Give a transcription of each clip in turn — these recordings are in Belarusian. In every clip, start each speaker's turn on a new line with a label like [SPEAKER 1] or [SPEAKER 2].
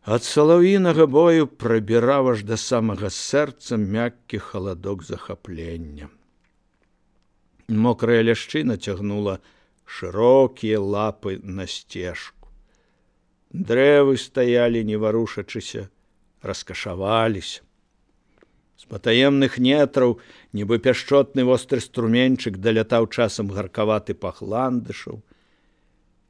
[SPEAKER 1] Ад салаўінага бою прабіраў аж да самага сэрца мяккі халадок захаплення. Мокрая ляшчына цягнула шырокія лапы на сцежку. Дрэвы стаялі, не варушачыся, раскашаваліся. З патаемных нетраў, нібы пяшчотны востры струменчык, далятаў часам гаркаваты пах ландышаў,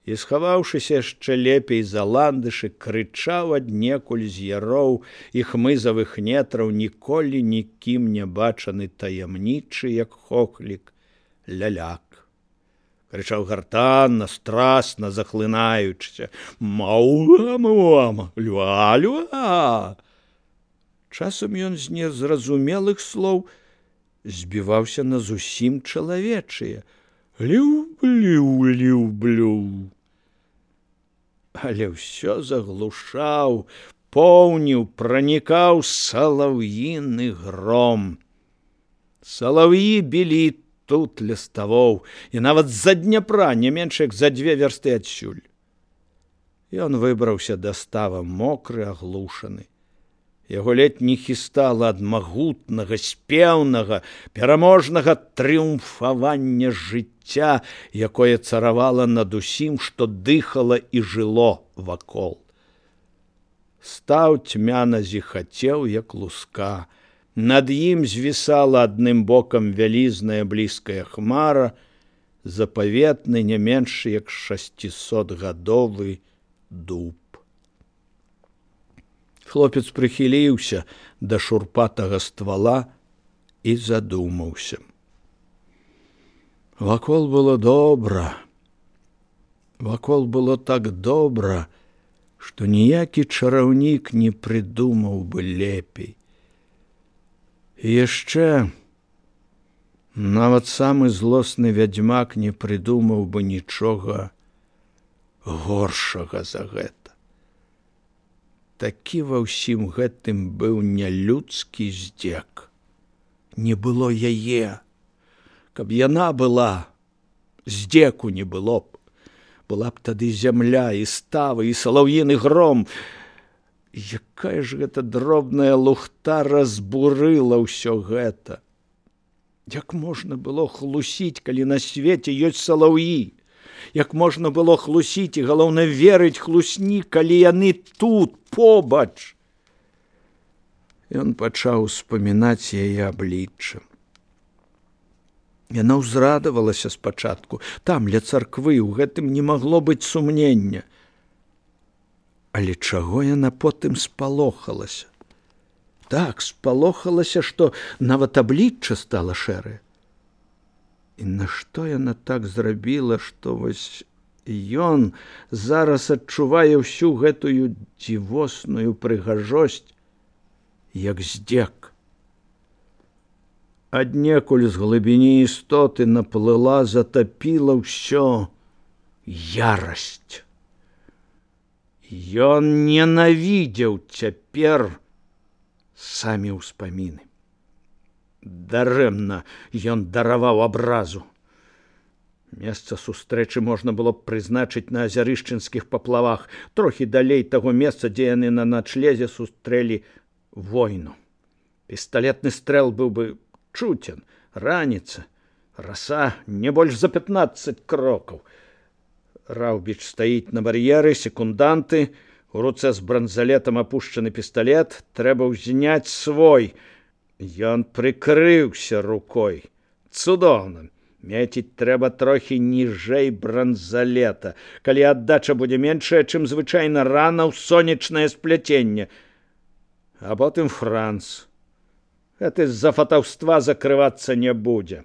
[SPEAKER 1] і, схаваўшыся яшчэ лепей за ландышы, крычаў аднекуль з яроў і хмызавых нетраў ніколі нікім не бачаны таямнічы, як хохлік, ляляк. Крычаў гартанна, страсна, захлынаючыся: «Мауа-мауа, люа-люа!» Часам ён з незразумелых слоў збіваўся на зусім чалавечыя: «Люблю-люблю». Але ўсё заглушаў, поўніў, пранікаў салаўіны гром. Салаўі білі тут ля ставоў, і нават з-за Дняпра, не менш як за 2 вярсты адсюль. Ён выбраўся да става мокры, аглушаны. Яго ледь не хістала ад магутнага, спеўнага, пераможнага трыумфавання жыцця, якое царавала над усім, што дыхала і жыло вакол. Стаў цьмяна зіхацеў, як луска. Над ім звісала адным бокам вялізная блізкая хмара, запаветны не менш як 600-гадовы дуб. Хлопец прыхіліўся да шурпатага ствала і задумаўся. Вакол было добра. Вакол было так добра, што ніякі чараўнік не прыдумаў бы лепей. І яшчэ нават самы злосны вядзьмак не прыдумаў бы нічога горшага за гэта. Такі ва ўсім гэтым быў нялюдскі здзек. Не было яе. Каб яна была, здзеку не было б. Была б тады зямля, і ставы, і салаўіны гром. Якая ж гэта дробная лухта разбурыла ўсё гэта. Як можна было хлусіць, калі на свеце ёсць салаўі? Як можна было хлусіць і, галоўна, верыць хлусні, калі яны тут, побач? Ён пачаў успамінаць яе аблічча. Яна ўзрадавалася спачатку. Там, ля царквы, у гэтым не магло быць сумнення. Але чаго яна потым спалохалася? Так, спалохалася, што нават аблічча стала шэрае. І нашто яна так зрабіла, што вось ён зараз адчувае ўсю гэтую дзівосную прыгажосць, як здзек. Аднекуль з глыбіні істоты наплыла, затапіла ўсё ярасць. Ён ненавідзеў цяпер самі ўспаміны. Дарэмна ён дараваў абразу. Месца сустрэчы можна было б прызначыць на азярышчынскіх паплавах, трохі далей таго месца, дзе яны на начлезе сустрэлі войну. Пісталетны стрэл быў бы чуцен, раніца, раса не больш за 15 крокаў. Раўбіч стаіць на бар'еры, секунданты, у руцэ з бранзалетам апушчаны пісталет, трэба ўзняць свой. Ён прыкрыўся рукой. Цудоўна. Меціць трэба трохі ніжэй бранзалета, калі аддача будзе меншая, чым звычайна рана ў сонечнае спляценне. А потым франц. Гэты з-за фатаўства закрывацца не будзе.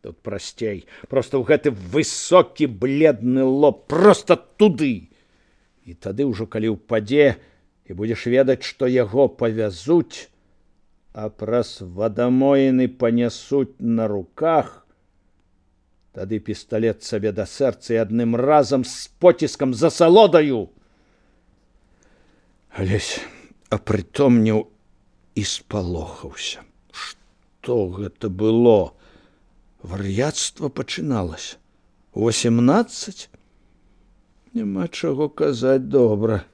[SPEAKER 1] Тут прасцей. Проста ў гэты высокі бледны лоб. Проста туды. І тады ўжо, калі ўпадзе, і будзеш ведаць, што яго павязуць, а праз вадамоіны панясуць на руках, тады пісталет сабе да сэрца і адным разам з поціскам за салодаю. Алесь апрытомніў і спалохаўся. Што гэта было? Вар'яцтва пачыналася. 18? Няма чаго казаць, добра.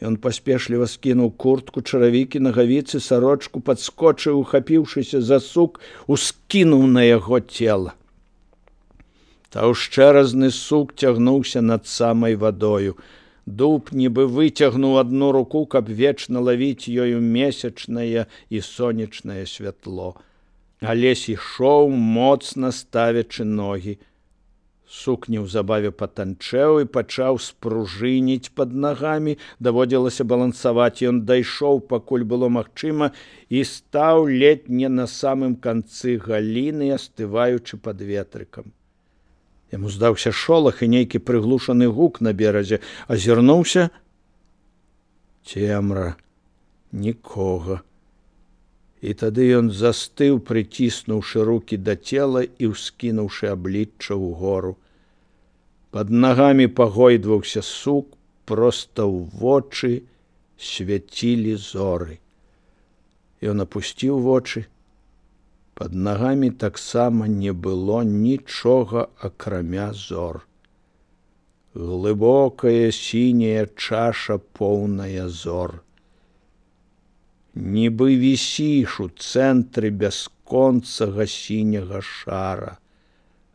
[SPEAKER 1] Ён паспешліва скінуў куртку, чаравікі, нагавіцы, сарочку, падскочыў, ухапіўшыся за сук, ускінуў на яго цела. Таўшчэразны сук цягнуўся над самай вадою. Дуб нібы выцягнуў адну руку, каб вечна лавіць ёю месячнае і сонечнае святло. Алесь ішоў, моцна ставячы ногі. Сук неўзабаве патанчэў і пачаў спружыніць пад нагамі. Даводзілася балансаваць. Ён дайшоў, пакуль было магчыма, і стаў ледзь не на самым канцы галіны, астываючы пад ветрыкам. Яму здаўся шолах і нейкі прыглушаны гук на беразе. Азірнуўся. Цемра. Нікога. І тады ён застыў, прыціснуўшы рукі да цела і ўскінуўшы аблічча ўгору. Пад нагамі пагойдваўся сук, проста ў вочы свяцілі зоры. Ён апусціў вочы. Пад нагамі таксама не было нічога, акрамя зор. Глыбокая сіняя чаша, поўная зор. Нібы вісіш у цэнтры бясконцага сіняга шара.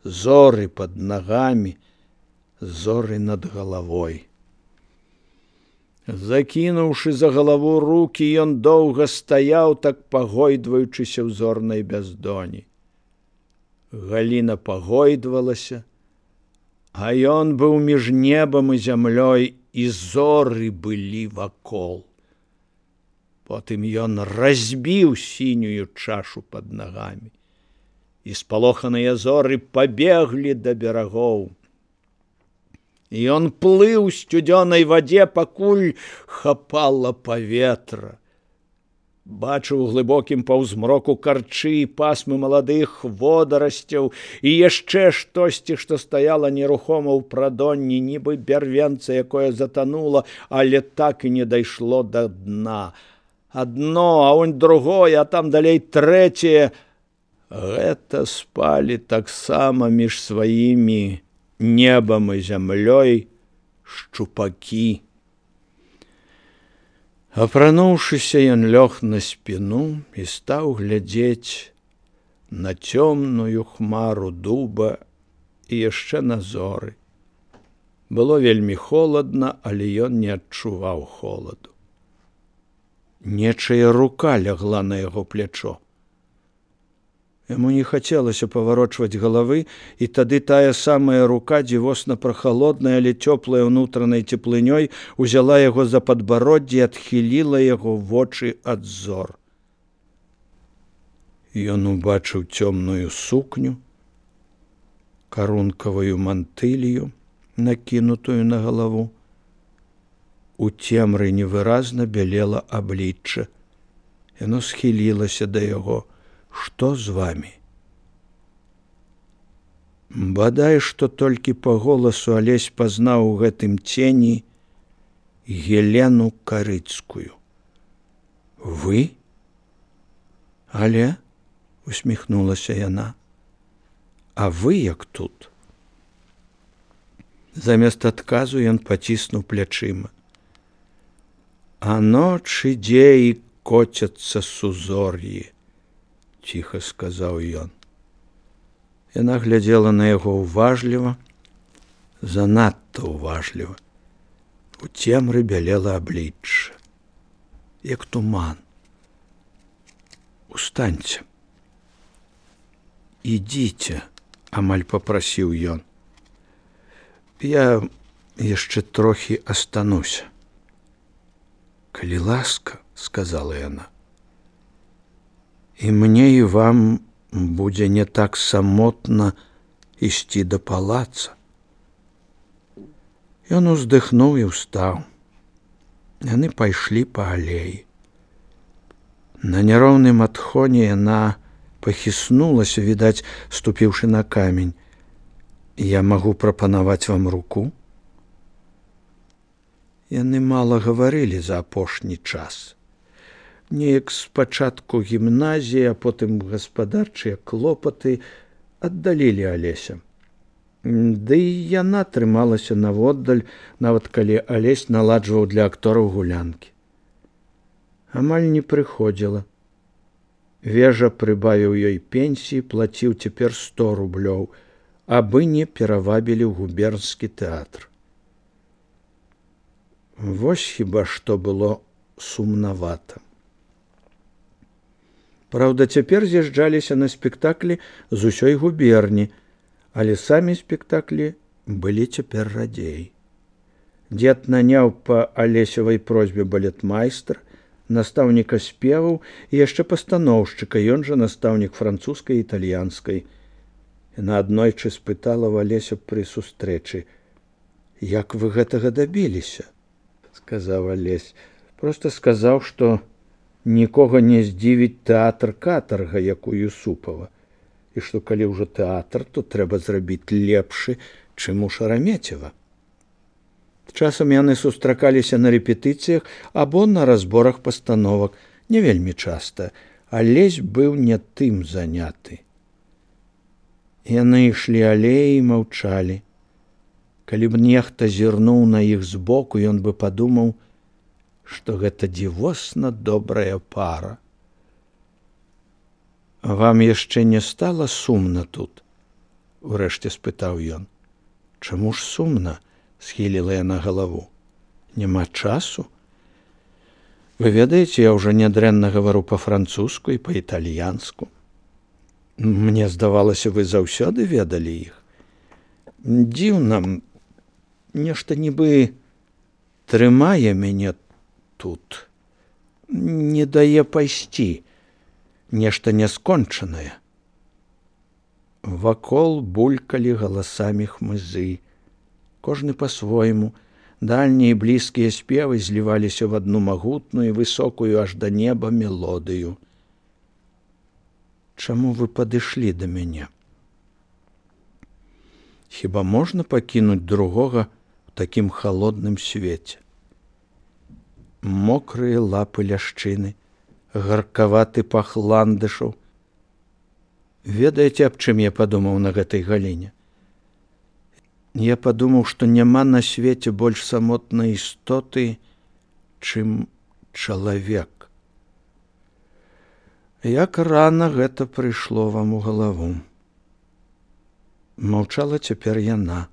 [SPEAKER 1] Зоры пад нагамі, зоры над галавой. Закінуўшы за галаву рукі, ён доўга стаяў, так пагойдваючыся ў зорнай бяздоні. Галіна пагойдвалася, а ён быў між небам і зямлёй, і зоры былі вакол. Потым ён разбіў сінюю чашу пад нагамі, і спалоханыя зоры пабеглі да берагоў. І ён плыў у сцюдзёнай вадзе, пакуль хапала паветра. Бачыў у глыбокім паўзмроку карчы, пасмы маладых водарасцяў і яшчэ штосьці, што стаяла нерухома ў прадонні, нібы бярвенца, якое затанула, але так і не дайшло да дна. Адно, а онь другое, а там далей трэцяе. Гэта спалі таксама між сваімі небам і зямлёй шчупакі. Апрануўшыся, ён лёг на спіну і стаў глядзець на цёмную хмару дуба і яшчэ на зоры. Было вельмі холадна, але ён не адчуваў холаду. Нечая рука лягла на яго плячо. Яму не хацелася паварочваць галавы, і тады тая самая рука, дзівосна прахалодная, але цёплая ўнутранай цеплынёй, узяла яго за падбароддзе і адхіліла яго вочы ад зор. Ён убачыў цёмную сукню, карункавую мантылію, накінутую на галаву. У цемры невыразна бялела аблічча. Яно схілілася да яго. Што з вамі? Бадай, што толькі па голасу Алесь пазнаў у гэтым цені Гелену Карыцкую. Вы? Але, усміхнулася яна, а вы як тут? Замест адказу ён паціснуў плячыма. А ноч ідзе і коцяцца сузор'і, ціха сказаў ён. Яна глядзела на яго уважліва, занадта уважліва. У цемры бялела аблічча, як туман. Устаньце. Ідзіце, амаль папрасіў ён. Я яшчэ трохі астануся. Калі ласка, сказала яна. І мне і вам будзе не так самотна ісці да палаца. Ён уздыхнуў і ўстаў. Яны пайшлі па алеі. На няроўным адхоне яна пахіснулася, відаць, ступіўшы на камень. Я магу прапанаваць вам руку? Яны мала гаварылі за апошні час. Неяк спачатку гімназія, а потым гаспадарчыя клопаты аддалілі Алеся. Ды і яна трымалася наводдаль, нават калі Алесь наладжваў для актораў гулянкі. Амаль не прыходзіла. Вежа прыбавіў ёй пенсіі, плаціў цяпер 100 рублёў, абы не перавабілі ў губернскі тэатр. Вось хіба што было сумнавата. Праўда, цяпер з'язджаліся на спектаклі з усёй губерні, але самі спектаклі былі цяпер радзей. Дзед наняў па Алесевай просьбе балетмайстра, настаўніка спеваў і яшчэ пастаноўшчыка, ён жа настаўнік французскай і італьянскай. Яна аднойчы спытала ў Алеся пры сустрэчы: «Як вы гэтага дабіліся?» Сказаў Алесь. Проста сказаў, што нікога не здзівіць тэатр катарга, як у Юсупава, і што калі ўжо тэатр, то трэба зрабіць лепшы, чым у Шарамецева. Часам яны сустракаліся на рэпетыцыях або на разборах пастановак, не вельмі часта, Алесь быў не тым заняты. Яны ішлі алеі і маўчалі. Калі б нехта зірнуў на іх збоку, ён бы падумаў, што гэта дзівосна добрая пара. «Вам яшчэ не стала сумна тут?» — урэшце спытаў ён. «Чаму ж сумна?» — схіліла яна галаву. «Няма часу? Вы ведаеце, я ўжо нядрэнна гавару па-французску і па-італьянску. Мне здавалася, вы заўсёды ведалі іх. Дзіўна, нешта нібы трымае мяне тут, не дае пайсці, нешта няскончанае». Вакол булькалі галасамі хмызы. Кожны па-свойму, дальнія і блізкія спевы зліваліся в адну магутную, высокую аж да неба мелодыю. «Чаму вы падышлі да мяне? Хіба можна пакінуць другога ў такім халодным свеце? Мокрыя лапы ляшчыны, гаркаваты пах ландышаў. Ведаеце, аб чым я падумаў на гэтай галіне? Я падумаў, што няма на свеце больш самотнай істоты, чым чалавек. Як рана гэта прыйшло вам у галаву?» Маўчала цяпер яна,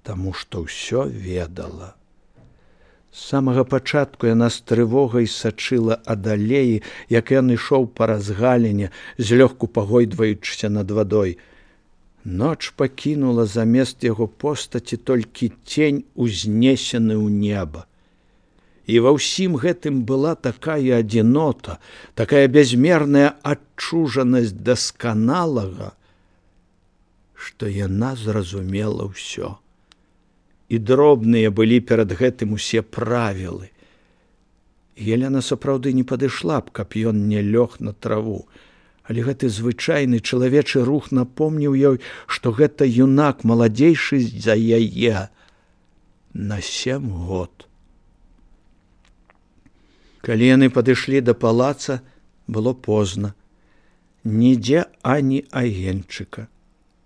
[SPEAKER 1] таму што ўсё ведала. З самага пачатку яна з трывогай сачыла ад алеі, як ён ішоў па разгаліне, злёгку пагойдваючыся над вадой. Ноч пакінула замест яго постаці толькі цень, узнесены ў неба. І ва ўсім гэтым была такая адзінота, такая бязмерная адчужанасць дасканалага, што яна зразумела ўсё. І дробныя былі перад гэтым усе правілы. Елена сапраўды не падышла б, каб ён не лёг на траву, але гэты звычайны чалавечы рух напомніў ёй, што гэта юнак маладзейшы за яе на 7 год. Калі яны падышлі да палаца, было позна. Нідзе ані агеньчыка.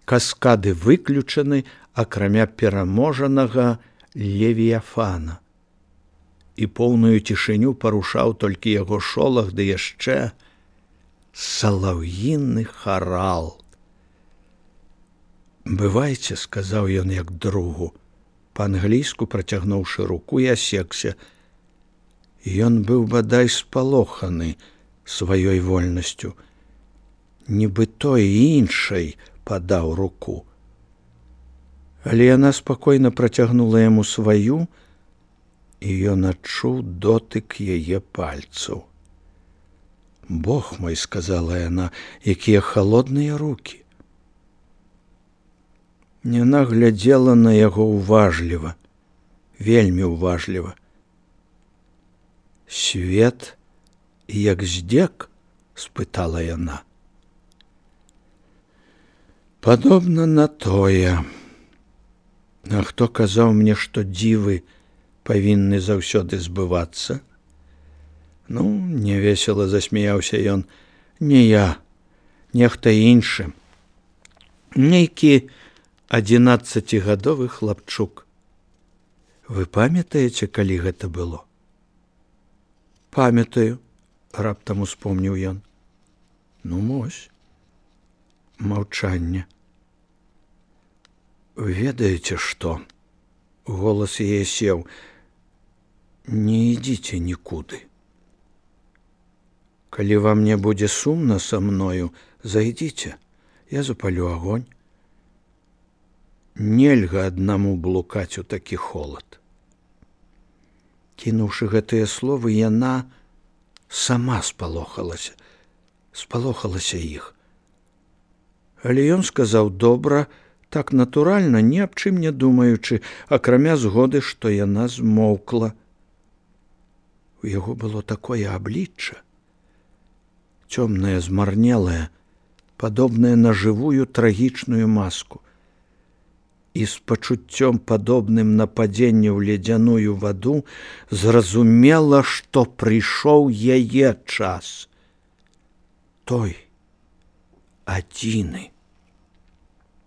[SPEAKER 1] Каскады выключаны, акрамя пераможанага Левіяфана. І поўную цішыню парушаў толькі яго шолах, ды яшчэ салаўіны харал. «Бывайце», — сказаў ён як другу, па-англійску працягнуўшы руку, і асекся. Ён быў бадай спалоханы сваёй вольнасцю. Нібы той іншай падаў руку. Але яна спакойна працягнула яму сваю, і ён адчуў дотык яе пальцаў. «Бог мой», — сказала яна, — «якія халодныя рукі». Яна глядзела на яго уважліва, вельмі уважліва. «Свет, як здзек?» — спытала яна. «Падобна на тое. А хто казаў мне, што дзівы павінны заўсёды збывацца?» «Ну, невесела засмяяўся ён. Не я, нехта іншы. Нейкі 11гадовы хлапчук. Вы памятаеце, калі гэта было? Памятаю, раптам успомніў ён. Ну, мось. Маўчанне. Ведаеце што? Голас яе сеў. Не ідзіце нікуды. Калі вам не будзе сумна са мною, зайдзіце, я запалю агонь. Нельга аднаму блукаць у такі холад. Кінуўшы гэтыя словы, яна сама спалохалася іх. Але ён сказаў добра, так натуральна, ні аб чым не думаючы, акрамя згоды, што яна змоўкла. У яго было такое аблічча, цёмнае, змарнелае, падобнае на жывую трагічную маску. І з пачуццём, падобным на падзенне ў ледзяную ваду, зразумела, што прыйшоў яе час. Той, адзіны.